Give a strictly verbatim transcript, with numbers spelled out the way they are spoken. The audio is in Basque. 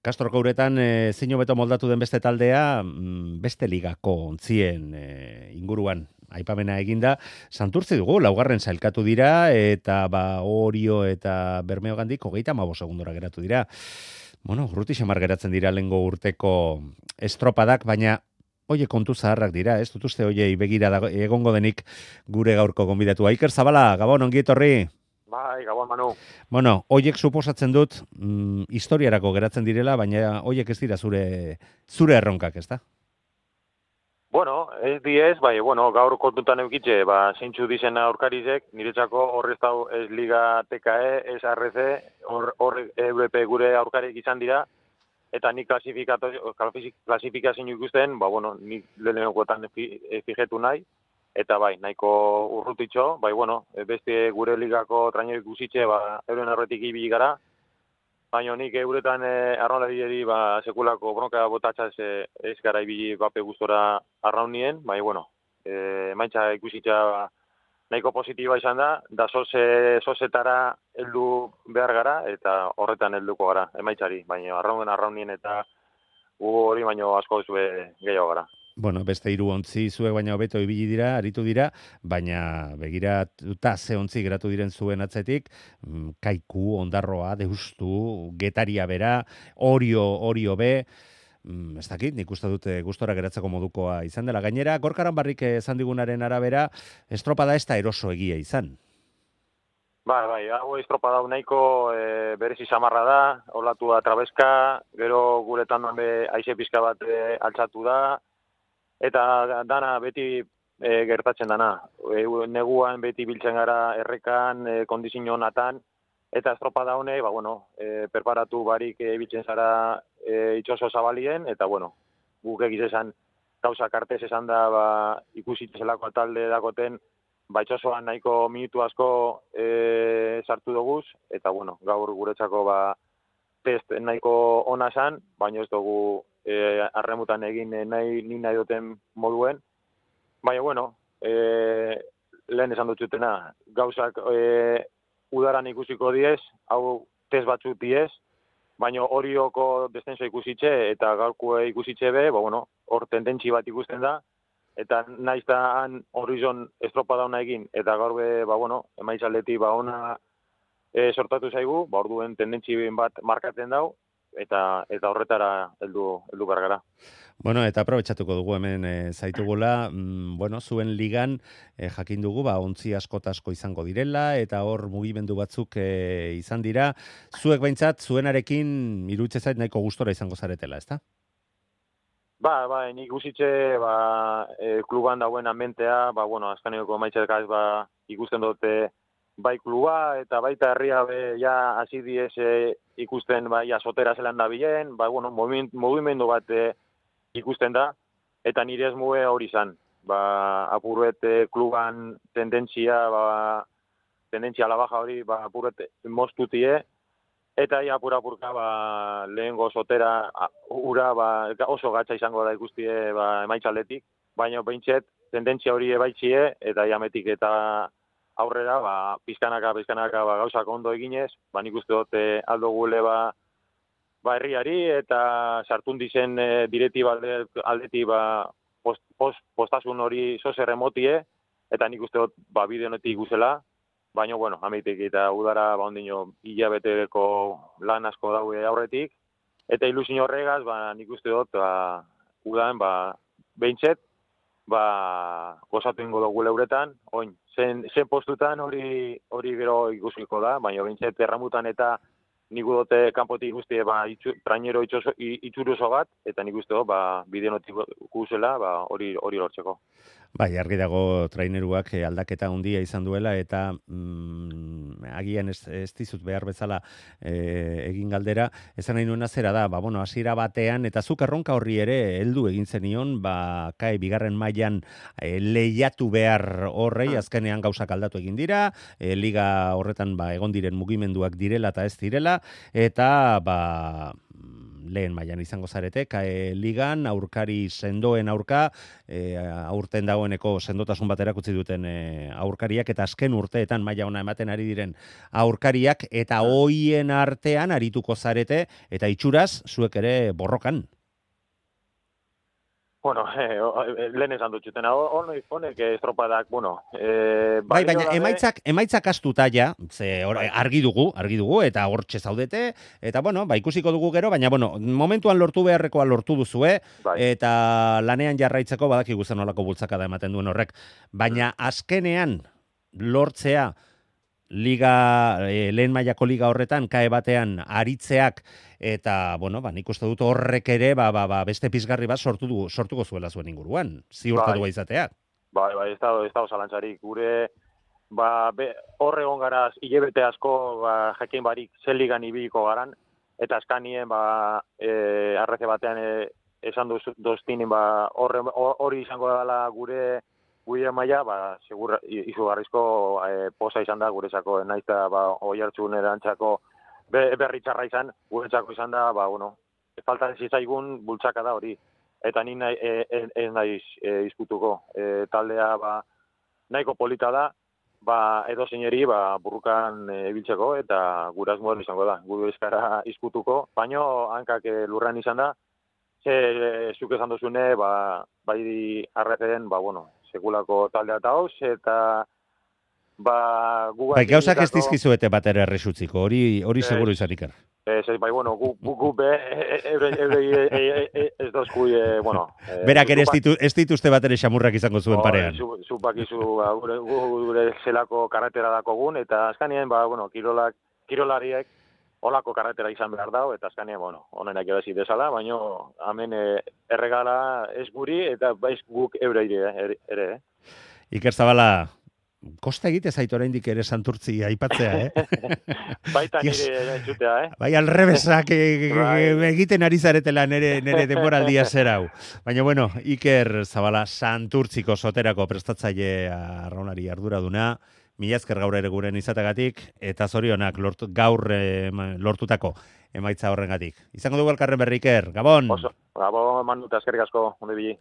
Kastroko uretan e, zein hobeto moldatu den beste taldea, mm, beste ligako ontzien e, inguruan aipamena eginda, Santurtzi dugu, laugarren sailkatu dira, eta ba Orio eta Bermeogandik hogeita hamabost segundora geratu dira. Bueno, urruti xamar geratzen dira lehengo urteko estropadak, baina oie kontu zaharrak dira, ez dut uste oie begira dago, egongo denik gure gaurko gonbidatu. Iker Zabala, Gabon, ongi etorri. Bai, Gabon, Manu. Bueno, oiek suposatzen dut mm, historiarako geratzen direla, baina oiek ez dira zure zure erronkak, ezta? Bueno, ez diez, bai, bueno, gaur kontutan eukitxe, ba, zeintzu dizen aurkarizek, niretzako horrez dau ez Liga T K E, ez R C, hor, hor Europe gure aurkarik izan dira, eta nik klasifikazio ikusten, ba, bueno, nik lehenekoetan fijetu nahi, eta bai, nahiko urrutitxo, bai, bueno, beste gure ligako trainero ikusitxe, ba, euren erretik ibili gara, baina nik euretan eh, arraunlarieri ba, sekulako bronka botatxaz eh, ez gara ibili bape gustora arraunien, bai, bueno, eh, maintza ikusitxa ba, nahiko positiba izan da, da soze, sozetara heldu behar gara, eta horretan helduko gara, emaitzari, baina arraun arraunien eta gu hori baino asko zue gehiago gara. Bueno, beste hiru ontzi zuek baina hobeto ibili dira, aritu dira, baina begiratuta ze ontzi geratu diren zuen atzetik, mm, Kaiku, Ondarroa, Deustu, Getaria bera, Orio, Orio be, mm, ez dakit, nik uste dute gustora geratzeko modukoa izan dela. Gainera, Gorkaran barrik esan digunaren arabera, estropada ez da eroso egia izan. Bai, bai, hau estropada nahiko e, berezi samarra da, olatu da trabeska, gero guretan be aize pizka bat e, altzatu da, eta dana beti e, gertatzen dana. E, neguan beti biltzen gara errekan, e, kondizio honatan, eta estropada hone, ba, bueno, e, preparatu barik e, biltzen zara e, itxoso zabalien, eta, bueno, guk egiz esan, gauza kartez esan da, ba, ikusitzelako talde dagoten, ba, itxosoan nahiko minutu asko e, sartu doguz, eta, bueno, gaur guretzako, ba, test nahiko ona esan, baina ez dugu e, arremutan egin nahi, ni nahi duten moduen. Baina, bueno, e, lehen esan dutxutena, gauzak e, udaran ikusiko diez, hau test batzuk diez, baina horioko descenso ikusitxe eta gaurko ikusitxe be, ba, bueno, hor tendentzi bat ikusten da, eta naiz da han horizon estropada ona egin, eta gaur be, ba, bueno, emaitzaldeti ba, ona e, sortatu zaigu, ba, orduen tendentzi bat markatzen dau, eta eta horretara heldu heldu behar gara. Bueno, eta aprobetxatuko dugu hemen e, zaitugula, mm, bueno, zuen ligan e, jakin dugu, ba, ontzi askotasko izango direla, eta hor mugimendu batzuk e, izan dira. Zuek behintzat, zuenarekin iruditze zait nahiko gustora izango zaretela, ezta? Ba, ba, nik guzitxe, ba, e, kluban dauen amentea, ba, bueno, azkaneko maitxetakaz, ba, ikusten dute bai kluba, eta baita herria be, ja, hasi diez e, ikusten, ba, ja, sotera zelan da bilen, ba, bueno, movimendu bat e, ikusten da, eta nire ez muge hori izan. Ba, apuruet e, kluban tendentzia, ba, tendentzia la baja hori, ba, apuruet moztutie, eta ja, apura-apurka, ba, lehengo sotera, a, ura, ba, oso gatza izango da ikustie, ba, emaitzaletik, baina behintzet, tendentzia hori ebaitzie, eta jametik eta aurrera, ba, pizkanaka, pizkanaka, ba, gauzak ondo eginez, ba, nik uste dut e, aldo gule, ba, ba, herriari, eta sartun dizen e, direti aldeti, ba, post, post, postasun hori zozer emotie, eta nik uste dut, ba, bide honetik guzela, baina, bueno, ameitik eta udara, ba, ondino, hilabeteko lan asko daue aurretik, eta ilusio horregaz, ba, nik uste dut, ba, udan, ba, behintzet, ba, gozatu ingo dugu leuretan, oin, zen, zen postutan hori hori gero ikusiko da, baina behintzet erramutan eta nik dute kanpotik guztie, ba, itxu, trainero itxuruzo bat, eta nik uste dut, ba, bide notik guzela, ba, hori hori lortzeko. Bai, argi dago traineruak aldaketa handia izan duela, eta mm, agian ez, ez dizut behar bezala e, egin galdera, esan nahi nuena zera da, ba, bueno, hasiera batean, eta zuk erronka horri ere heldu egin zenion, ba, kai, bigarren mailan e, lehiatu behar horrei, azkenean gauzak aldatu egin dira, e, liga horretan ba, egon diren mugimenduak direla eta ez direla, eta ba, lehen mailan izango zarete, kae ligan, aurkari sendoen aurka, e, aurten dagoeneko sendotasun bat erakutsi duten e, aurkariak, eta azken urteetan maila ona ematen ari diren aurkariak, eta hoien artean arituko zarete, eta itxuraz, zuek ere borrokan. Bueno, eh, lehen esan dutxuten, honek, honek estropadak, bueno... Eh, bai, baina emaitzak, emaitzak astuta ja, ze or, bai. argi dugu, argi dugu, eta hortxe zaudete, eta bueno, ba, ikusiko dugu gero, baina bueno, momentuan lortu beharrekoa lortu duzue, bai. Eta lanean jarraitzeko badakigu zen olako bultzakada ematen duen horrek, baina azkenean lortzea, liga, e, lehen mailako liga horretan, kae batean aritzeak, eta, bueno, ba, nik uste dut horrek ere, ba, ba, ba, beste pizgarri bat sortu du, sortuko zuela zuen inguruan, ziurtatu bai. Izateak. Bai, bai, ez dago, ez dago zalantzarik, gure, ba, horre garaz, hilebete asko, ba, jakin barik, zen ligan ibiliko garan, eta askanien, ba, e, arreze batean, e, esan duz, doztinin, ba, horre, hori izango dela gure, gure maila, ba, segur, izugarrizko e, posa izan da guretzako, naizta, ba, oi hartzun erantzako berritxarra izan, guretzako izan da, ba, bueno, falta zizaigun bultzaka da hori. Eta ni nahi, e, e, ez naiz e, izkutuko. E, taldea, ba, nahiko polita da, ba, edo zeineri, ba, burrukan ibiltzeko, e, eta guraz moden izango da. Gure eskara izkutuko, baino, hankak e, lurran izan da, ze, e, zuk esan duzune, ba, bai arreten, ba, bueno, sekulako taldea eta hoz, eta ba, gu bai, gauzak ez dizkizuete bat ere erresutziko, hori hori seguru izan ikar. Ez, bai, bueno, gu, gu, gu be, ez dozku, bueno... Berak ere ez dituzte bat ere xamurrak izango zuen parean. Zupak izu, gure, gure zelako karretera dakogun, eta azkanien, ba, bueno, kirolak, kirolariek olako karretera izan behar dago, eta azkanien, bueno, honenak ebazi desala, baina hemen erregala ez guri, eta baiz guk eure ere, ere. Iker Zabala, kosta egite zaitu oraindik ere Santurtzi aipatzea, eh? Baita nire entzutea, eh? Bai, alrebesak egiten ari zaretela nere, nere denboraldia zer hau. Baina, bueno, Iker Zabala Santurtziko soterako prestatzaile arraunari arduraduna, mila esker gaur ere guren izatagatik, eta zorionak lortu, gaur eh, lortutako emaitza horrengatik. Izango dugu elkarren berri, Iker, Gabon! Oso, Gabon, manduta eskerrik asko, onde bili.